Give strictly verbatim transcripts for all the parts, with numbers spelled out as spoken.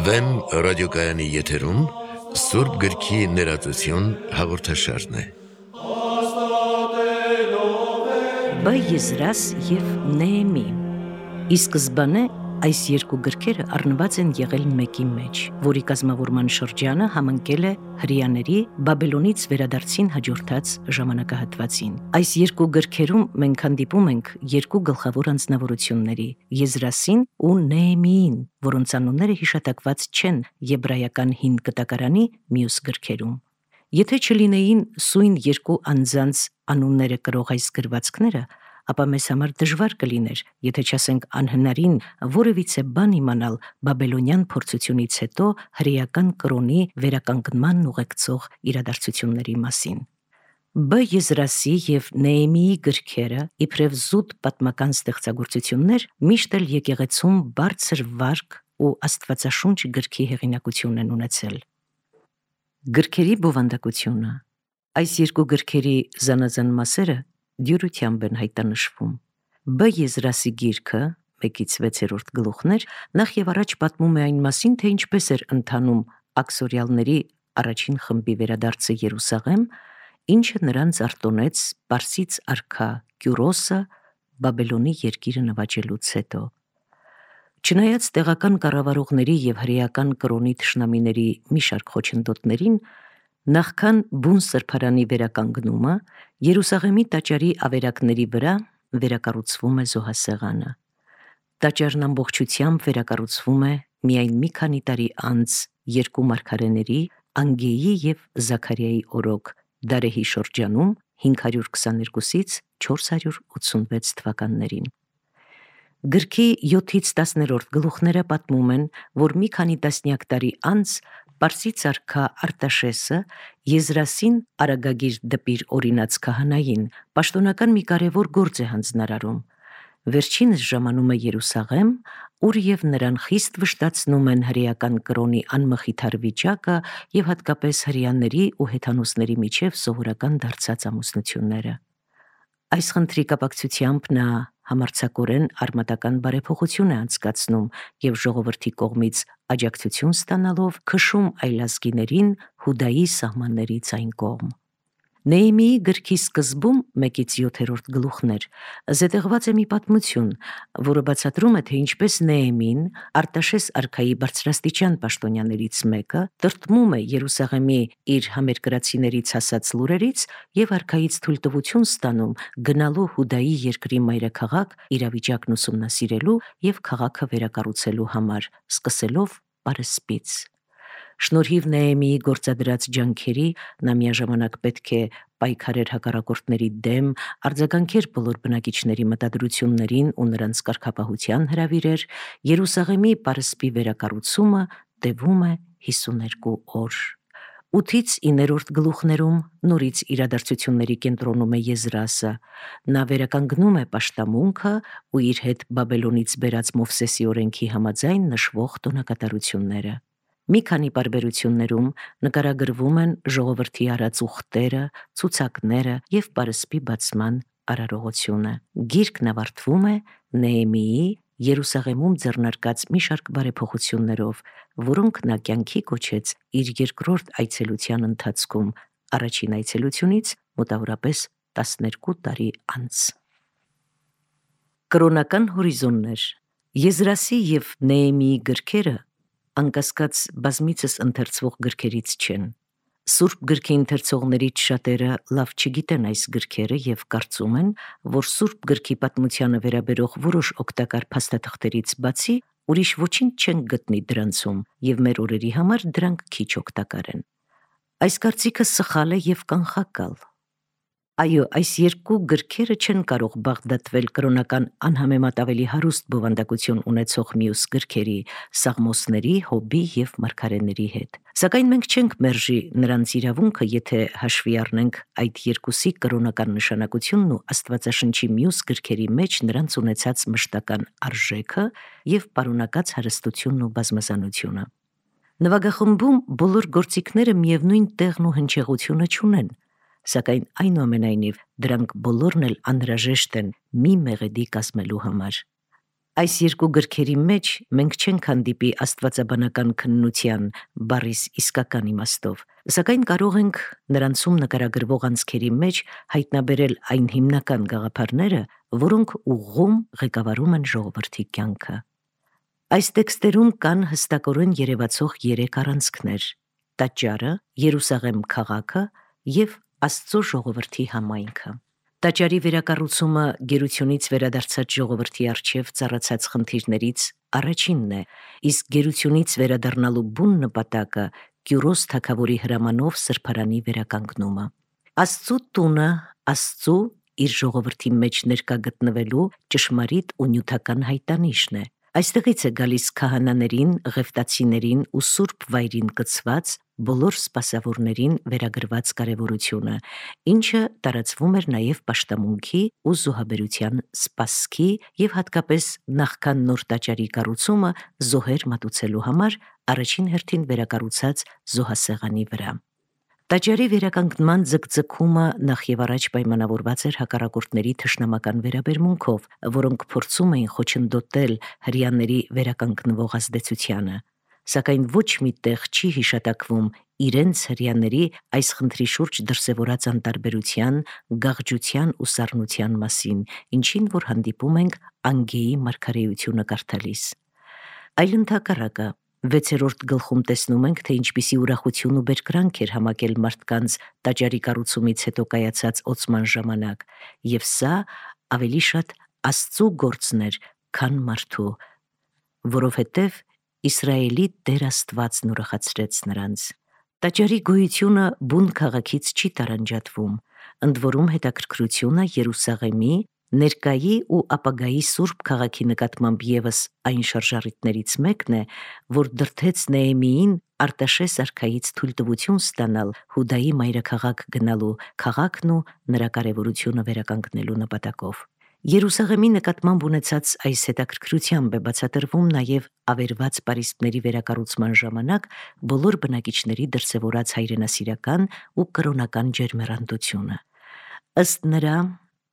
Վեմ ռադիոկայանի եթերում Սուրբ գրքի ներածություն հաղորդաշարն է։ Բ Եզրաս և Նեեմի։ Ի սկզբանե այս երկու գրքերը առնված են եղել մեկի մեջ, որի կազմավորման շրջանը համընկել է հրեաների Բաբելոնից վերադարձին հաջորդած ժամանակահատվածին։ Այս երկու գրքերում մենք հանդիպում ենք երկու գլխավոր անձնավորությունների՝ Եզրասին ու Նեեմիին, որոնց անունները հիշատակված չեն եբրայական հին կտակարանի մյուս գրքերում։ Եթե չլինեին սույն երկու անձանց անունները կրող այս գրվածքները, ապա մեզ համար դժվար կլիներ, եթե չասենք անհնարին որևիցե բան իմանալ բաբելոնյան փորձությունից հետո հրեական կրոնի վերականգնման ուղեկցող իրադարձությունների մասին։ Բ Եզրասի և Նեեմիի գրքերը, իբրև զուտ պատմական ստեղծագործություններ, միշտ էլ եկեղեցում բարձր վարկ ու աստվածաշունչ գրքի հեղինակություն են ունեցել։ Գրքերի բովանդակությունը։ Այս երկու գրքերի զանազան մասերը դյուրությամբ են հայտնաբերվում։ Բ Եզրասի գիրքը, մեկից վեցերորդ գլուխներ, նախ եւ առաջ պատմում է այն մասին, թե ինչպես էր ընթանում աքսորյալների առաջին խմբի վերադարձը Երուսաղեմ, ինչը նրանց արտոնեց Պարսից արքա Կյուրոսը Բաբելոնի երկիրը նվաճելուց հետո։ Չնայած տեղական կառավարողների եւ հրեական կրոնի թշնամիների մի շարք խոչընդոտներին, նախքան բուն սրբարանի վերականգնումը Երուսաղեմի տաճարի ավերակների վրա վերակառուցվում է զոհասեղանը։ Տաճարն ամբողջությամբ վերակառուցվում է միայն մի քանի տարի անց երկու մարգարեների՝ Անգեի եւ Զաքարիայի օրոք Դարեհի շրջանում հինգ հարյուր քսաներկուսից չորս հարյուր ութսունվեց թվականներին։ Գրքի յոթից տասներորդ գլուխները պատմում են, որ մի քանի տասնյակ տարի անց Պարսից արքա Արտաշեսը Եզրասին Արագագիր դպիր օրինաց քահանային պաշտոնական մի կարևոր գործ է հանձնարարում։ Վերջինս ժամանում է Երուսաղեմ, ուր եւ նրան խիստ վշտացնում են հրեական կրոնի անմխիթար վիճակը եւ հատկապես հրեաների ու հեթանոսների միջև սովորական դարձած ամուսնությունները։ Այս խնդրի կապակցությամբ նա համարձակորեն արմատական բարեփոխություն է անցկացնում եւ ժողովրդի կողմից աջակցություն ստանալով քշում այլազգիներին Հուդայի սահմաններից այն կողմ։ Նեեմիի գրքի սկզբում մեկից յոթերորդ գլուխներ զետեղված է մի պատմություն, որը բացատրում է, թե ինչպես Նեեմին, Արտաշես արքայի բարձրաստիճան պաշտոնյաներից մեկը, տրտմում է Երուսաղեմի իր համերկրացիներից հասած լուրերից եւ արքայից թույլտվություն ստանում գնալու Հուդայի երկրի մայրաքաղաք իրավիճակն ուսումնասիրելու եւ քաղաքը վերակառուցելու համար, սկսելով պարսպից։ Շնորհիվ Նեեմիի գործադրած ջանքերի նա միաժամանակ պետք է պայքարեր հակառակորդների դեմ, արձագանքեր բոլոր բնակիչների մտադրություններին ու նրանց կարգապահության հրավիրեր, Երուսաղեմի պարսպի վերակառուցումը տևում է հիսուներկու օր։ Ութից իններորդ գլուխներում նորից իրադարձությունների կենտրոնում է Եզրասը։ Նա վերականգնում է պաշտամունքը ու իր հետ Բաբելոնից բերած Մովսեսի օրենքի համաձայն նշվող տոնակատարությունները։ Մի քանի պարբերություններում նկարագրվում են ժողովրդի արած ուխտերը, ցուցակները եւ պարսպի բացման արարողությունը։ Գիրքն ավարտվում է Նեեմիի Երուսաղեմում ձեռնարկած մի շարք բարեփոխություններով, որոնք նա կյանքի կոչեց իր երկրորդ այցելության ընթացքում, առաջին այցելությունից մոտավորապես տասներկու տարի անց։ Կրոնական հորիզոններ։ Եզրասի եւ Նեեմիի գրքերը անկասկած բազմիցս ընթերցվող գրքերից չեն։ Սուրբ գրքի ընթերցողներից շատերը լավ չգիտեն այս գրքերը եւ կարծում են, որ Սուրբ գրքի պատմությանը վերաբերող որոշ օգտակար փաստաթղթերից բացի ուրիշ ոչինչ չեն գտնի դրանցում եւ մեր օրերի համար դրանք քիչ օգտակար են։ Այս կարծիքը սխալ է եւ կանխակալ։ Այո, այս երկու գրքերը չեն կարող բաղդատվել կրոնական անհամեմատ ավելի հարուստ բովանդակություն ունեցող մյուս գրքերի՝ Սաղմոսների, Հոբի եւ Մարգարեների հետ։ Սակայն մենք չենք մերժի նրանց իրավունքը, եթե հաշվի առնենք այդ երկուսի կրոնական նշանակությունն ու Աստվածաշնչի մյուս գրքերի մեջ նրանց ունեցած մշտական արժեքը եւ պարունակած հարստությունն ու բազմազանությունը։ Նվագախմբում բոլոր գործիքները միևնույն տեղն ու հնչեղությունը չունեն, սակայն այնուամենայնիվ դրանք բոլորն էլ անհրաժեշտ են մի մեղեդի կազմելու համար։ Այս երկու գրքերի մեջ մենք չենք հանդիպի աստվածաբանական քննության բառիս իսկական իմաստով, սակայն կարող ենք նրանցում նկարագրվող անցքերի մեջ հայտնաբերել այն հիմնական գաղափարները, որոնք ուղղում ղեկավարում են ժողովրդի կյանքը։ Այս տեքստերում կան հստակորեն երևացող երեք առանցքներ՝ տաճարը, Երուսաղեմ քաղաքը և Աստծո ժողովրդի համայնքը։ Տաճարի վերակառուցումը գերությունից վերադարձած ժողովրդի առջև ծառացած խնդիրներից առաջինն է, իսկ գերությունից վերադառնալու բուն նպատակը Կյուրոս թագավորի հրամանով սրբարանի վերականգնումը։ Աստծու տունը Աստծու իր ժողովրդի մեջ ներկա գտնվելու ճշմարիտ ու նյութական հայտանիշն է։ Այստեղից է գալիս քահանաներին, ղևտացիներին ու սուրբ վայրին կցված բոլոր սպասավորներին վերագրված կարևորությունը, ինչը տարածվում էր նաև պաշտամունքի ու զոհաբերության սպասքի և հատկապես նախքան նոր տաճարի կառուցումը զոհեր մատուցելու համար առաջին հերթին վերակառուցած զոհասեղանի վրա։ Տաճարի վերականգնման ձգձգումը նախ եւ առաջ պայմանավորված էր հակառակորդների թշնամական վերաբերմունքով, որոնք փորձում էին խոչընդոտել հրեաների վերականգնվող ազդեցությանը, սակայն ոչ մի տեղ չի հիշատակվում իրենց հրեաների այս խնդրի շուրջ դրսևորած անտարբերության, գաղջության ու սառնության մասին, ինչին որ հանդիպում ենք Անգեի մարգարեությունը կարդալիս։ Այլընթակառակը վեցերորդ գլխում տեսնում ենք, թե ինչպիսի ուրախություն ու բերկրանք էր համակել մարդկանց տաճարի կառուցումից հետո կայացած օծման ժամանակ, եւ սա ավելի շատ Աստծու գործն էր, քան մարդու, որովհետև Իսրայելի Տեր Աստվածն ուրախացրեց նրանց։ Տաճարի գոյությունը բուն քաղաքից չի տարանջատվում, ընդ որում հետաքրքրությունը Երուսաղեմի ներկայի ու ապագայի սուրբ քաղաքի նկատմամբ ևս այն շարժառիթներից մեկն է, որ դրդեց Նեեմիին Արտաշես արքայից թույլտվություն ստանալ Հուդայի մայրաքաղաք գնալու, քաղաքն ու նրա կարևորությունը վերականգնելու նպատակով։ Երուսաղեմի նկատմամբ ունեցած այս հետաքրքրությամբ է բացատրվում նաև ավերված պարիսպների վերակառուցման ժամանակ բոլոր բնակիչների դրսևորած հայրենասիրական ու կրոնական ջերմեռանդությունը։ Ըստ նրա,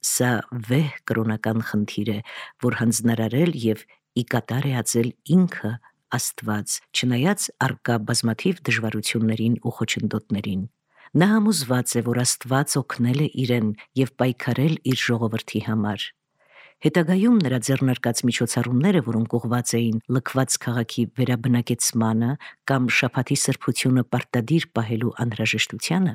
սա վեհ կրոնական խնդիր է, որ հանձնարարել և ի կատար է ածել ինքը Աստված, չնայած առկա բազմաթիվ դժվարություններին ու խոչընդոտներին։ Նա համոզված է, որ Աստված օգնել է իրեն և պայքարել իր ժողովրդի համար։ Հետագայում նրա ձեռնարկած միջոցառումները, որոնք ուղղված էին լքված քաղաքի վերաբնակեցմանը կամ շաբաթի սրբությունը պարտադիր պահելու անհրաժեշտությանը,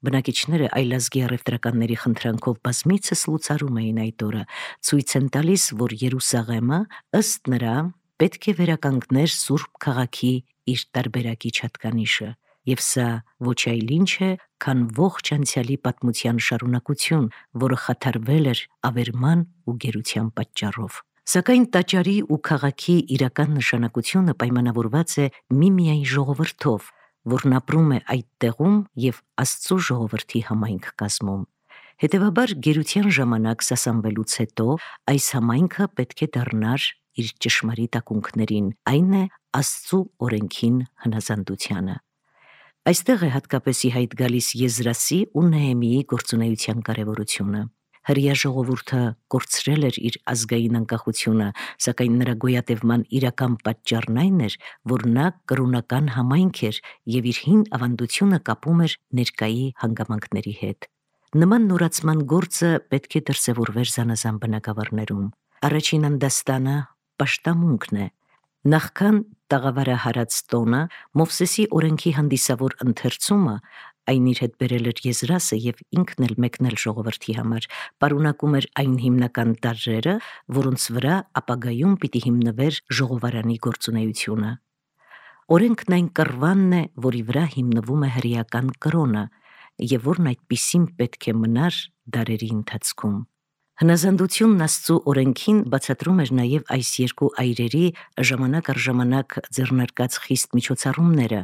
բնակիչները այլազգի առևտրականների խնդրանքով բազմիցս լուծարում էին այդ օրը, ցույց են տալիս, որ Երուսաղեմը ըստ նրա պետք է վերականգներ սուրբ քաղաքի իր տարբերակիչ հատկանիշը, և սա ոչ այլ ինչ է, քան ողջ անցյալի պատմության շարունակություն, որը խաթարվել էր ավերման ու գերության պատճառով։ Սակայն տաճարի ու քաղաքի իրական նշանակությունը պայմանավորված է միմիայն ժողովրդով, որն ապրում է այդ տեղում և Աստծո ժողովրդի համայնք կազմում։ Հետևաբար գերության ժամանակ սասանվելուց հետո այս համայնքը պետք է դառնար իր ճշմարիտ ակունքներին, այն է Աստծու օրենքին հնազանդությանը։ Այստեղ է հատկապես ի հայտ գալիս Եզրասի ու Նեեմիի գործունեության կարևորությունը։ Հրեա ժողովուրդը կորցրել էր իր ազգային անկախությունը, սակայն նրա գոյատևման իրական պատճառն այն էր, որ նա կրոնական համայնք էր և իր հին ավանդությունը կապում էր ներկայի հանգամանքների հետ։ Նման նորացման գործը պետք է դրսևորվեր զանազան բնագավառներում։ Առաջին անդաստանը պաշտամունքն է։ Նախքան տաղավարահարած տոնը, Մովսեսի օրենքի հանդիսավոր ընթերցումը, այն իր հետ բերել էր Եզրասը և ինքն էլ մեկնել ժողովրդի համար, պարունակում էր այն հիմնական տարրերը, որոնց վրա ապագայում պիտի հիմնվեր ժողովարանի գործունեությունը։ Օրենքն այն կռվանն է, որի վրա հիմնվում է հրեական կրոնը, և որն այդպիսին պետք է մնար դարերի ընթացքում։ Հնազանդությունն Աստծու օրենքին բացատրում էր նաև այս երկու այրերի ժամանակ առ ժամանակ ձեռնարկած խիստ միջոցառումները,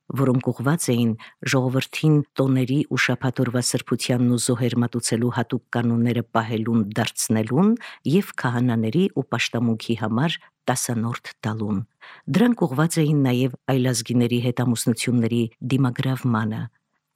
որոնք ուղղված էին ժողովրդին տոների ու շաբաթ օրվա սրբությանն ու զոհեր մատուցելու հատուկ կանոնները պահելուն դարձնելուն և քահանաների ու պաշտամունքի համար տասանորդ տալուն։ Դրանք ուղղված էին նաև այլազգիների հետ ամուսնությունների դիմագրավմանը։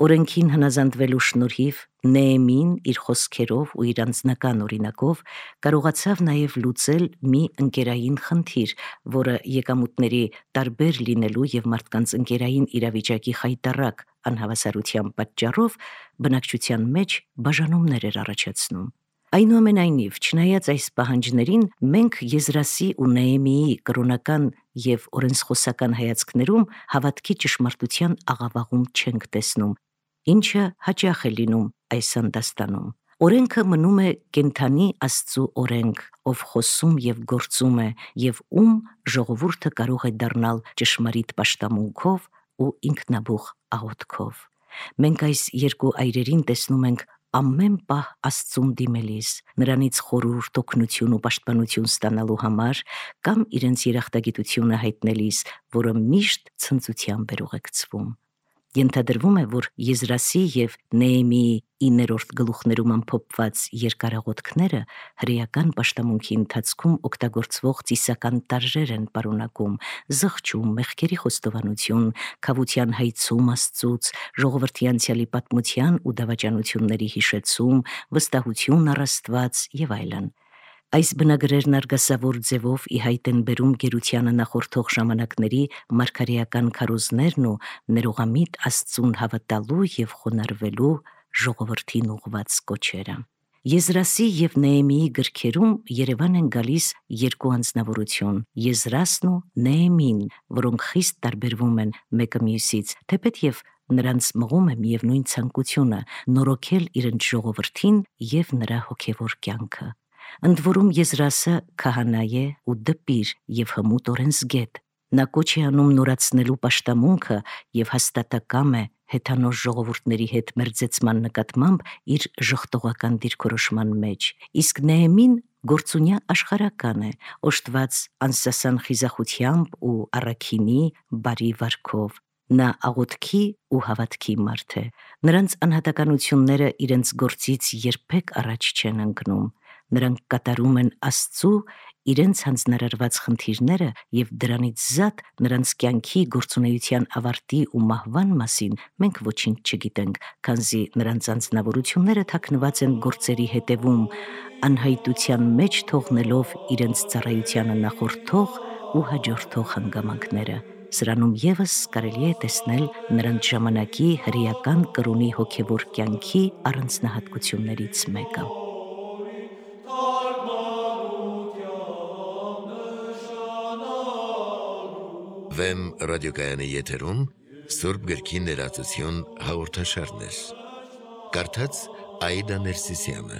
Օրենքին հնազանդվելու շնորհիվ Նեեմին իր խոսքերով ու իր անձնական օրինակով կարողացավ նաև լուծել մի ընկերային խնդիր, որը եկամուտների տարբեր լինելու եւ մարդկանց ընկերային իրավիճակի խայտառակ անհավասարության պատճառով բնակչության մեջ բաժանումներ էր առաջացնում։ Այնուամենայնիվ, չնայած այս պահանջներին, մենք Եզրասի ու Նեեմիի կրոնական եւ օրենսխոսական հայացքներում հավատքի ճշմարտության աղավաղում չենք տեսնում, ինչը հաճախ է լինում այս հանդաստանում։ Օրենքը մնում է կենդանի Աստծու օրենք, ով խոսում եւ գործում է, եւ ում ժողովուրդը կարող է դառնալ ճշմարիտ պաշտամունքով ու ինքնաբուխ աղոթքով։ Մենք այս երկու այրերին տեսնում ենք ամեն պահ Աստծուն դիմելիս, նրանից խորհուրդ, օգնություն ու պաշտպանություն ստանալու համար կամ իրենց երախտագիտությունը հայտնելիս, որը միշտ ցնծությամբ էր ուղեկցվում։ Ենթադրվում է, որ Եզրասի եւ Նեեմիի իններորդ գլուխներում ամփոփված երկարաղոթքները հրեական պաշտամունքի ընթացքում օգտագործվող ծիսական տարրեր են պարունակում՝ զղջում, մեղքերի խոստովանություն, քավության հայցում Աստծուց, ժողովրդի անցյալի պատմության ու դավաճանությունների հիշեցում, վստահություն առ Աստված եւ այլն։ Այս բնագրերն արգասավոր ձևով ի հայտ են բերում գերությանը նախորդող ժամանակների մարգարեական քարոզներն ու ներողամիտ Աստծուն հավատալու եւ խոնարհվելու ժողովրդին ուղված կոչերը։ Եզրասի եւ Նեեմիի գրքերում երևան են գալիս երկու անձնավորություն՝ Եզրասն ու Նեեմին, որոնք խիստ տարբերվում են մեկը մյուսից, թեպետ նրանց մղում է միևնույն ցանկությունը՝ նորոգել իրենց ժողովրդին եւ նրա հոգեվոր կյանքը։ Ընդ որում Եզրասը քահանա է ու դպիր եւ հմուտ օրենսգետ։ Նա կոչ է անում նորացնելու պաշտամունքը եւ հաստատակամ է հեթանոս ժողովուրդների հետ մերձեցման նկատմամբ իր ժխտողական դիրքորոշման մեջ, իսկ Նեեմին գործունյա աշխարհական է, օժտված անսասան խիզախությամբ ու առաքինի բարի վարքով։ Նա աղոթքի ու հավատքի մարդ է։ Նրանց անհատականությունները իրենց գործից երբեք առաջ չեն ընկնում։ Նրանք կատարում են Աստծու իրենց հանձնարարված խնդիրները եւ դրանից զատ նրանց կյանքի գործունեության ավարտի ու մահվան մասին մենք ոչինչ չգիտենք, քանզի նրանց անձնավորությունները թաքնված են գործերի հետևում, անհայտության մեջ թողնելով իրենց ծառայությանը նախորդող ու հաջորդող հանգամանքները։ Սրանում եւս կարելի է տեսնել նրանց ժամանակի հրեական կրոնի հոգեվոր կյանքի առանձնահատկություններից մեկը։ Վեմ ռադիոկայանի եթերում Սուրբ գրքի ներածություն հաղորդաշարներ։ Կարդաց Աիդա Ներսիսյանը։